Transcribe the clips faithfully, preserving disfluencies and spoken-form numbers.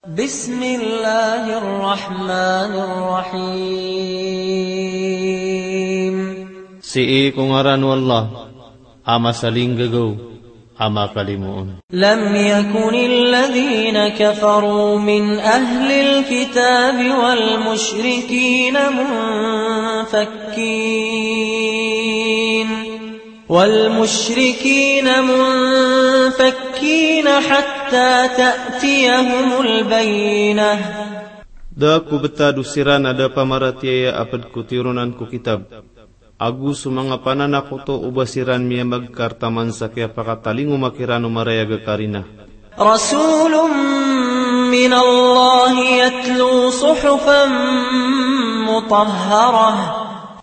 بسم الله الرحمن الرحيم. Sii ko ngaran o Allah, a masalinggagaw, a makalimoon. لم يكن الذين كفروا من أهل الكتاب والمشركين منفكين والمشركين منفكين حتى تأتيهم البينة. Da ko btad o siran a da pamaratiyaya a pd ko tironan ko kitab, ago so manga pananakoto o ba siran miyamagkar taman sa kiyapakatalingoma kiran o marayag a karina. رسول من الله يتلو صحفا مطهرة.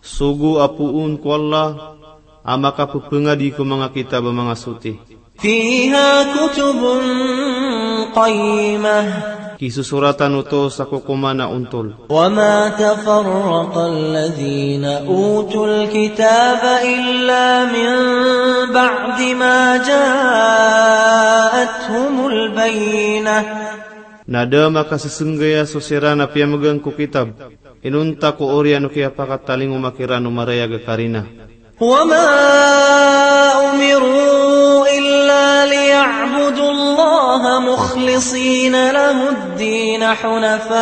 Sogo a poon ko Allah a makapphangadi ko manga kitab a manga soti. فيها كتب قيمة. Kisosoratan oto sa kokoman a ontol. وما تفرق الذين أوتوا الكتاب إلا من بعد ما جاءتهم البينة. Na da makasesengaya so siran a piyamgang ko kitab, inonta ko oriyan o kiyapakatalingoma kiran o marayag a karina. وما أمروا إلا ليعبدوا الله مخلصين له الدين حنفاء،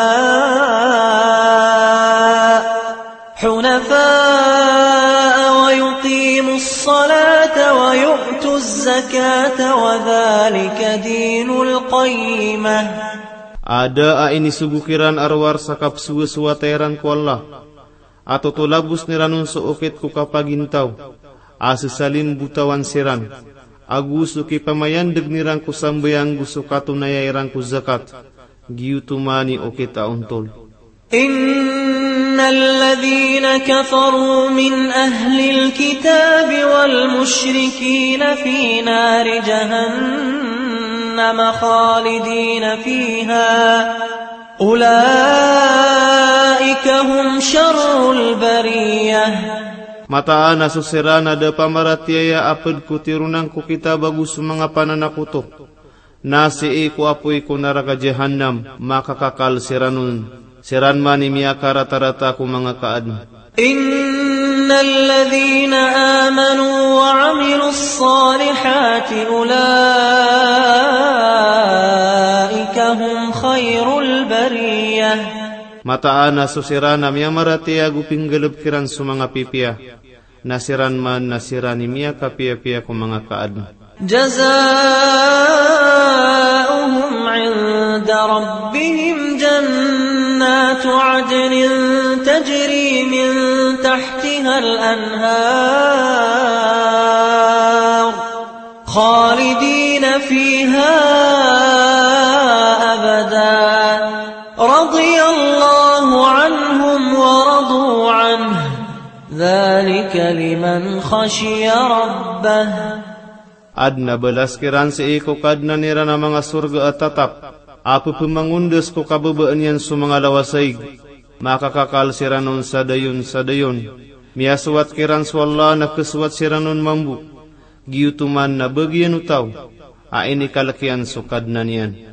حنفاء ويقيموا الصلاة ويؤتوا الزكاة وذلك دين القيمة. A da a inisogo kiran a rowar sa kapsowasowa tairan ko Allah, a totolabos iran on so okit ko kapagintaw, a sesalimbotawan siran, ago so kipamayandeg iran ko sambayang go so katonaya iran ko zakat, giyoto man i okit a ontol. إن الذين كفروا من أهل الكتاب والمشركين في نار جهنم خالدين فيها أولئك هم شر البرية. Mataan a so siran a da pamaratiyaya a pd ko tironan ko kitab ago so manga pananakoto, na sii ko apoy ko naraka Jahannam, makakakal siran on. Siran man i miyakaratarata ko manga kaadn. إن الذين آمنوا وعملوا الصالحات أولئك هم خير البرية. Mataan a so siran a miyamaratiyaya ago pinggalbk iran so manga pipiya, na siran man na siran i miyakapiyapiya ko manga kaadn. جزاؤهم عند ربهم جنات عدن تجري من تحتها الأنهار خالدين فيها أبدا رضي الله عنهم ورضوا عنه ذلك لمن خشي ربه. Adn a balas kiran sii ko Kadnan iran a manga sorga a tatap, a pphamangondas ko kababaan iyan so manga lawasaig. Makakakal siran on sa dayon sa dayon. Miyasowat kiran so Allah na khasowat siran on mambo. Giyoto man na bagian o taw a inikalk iyan so Kadnan iyan.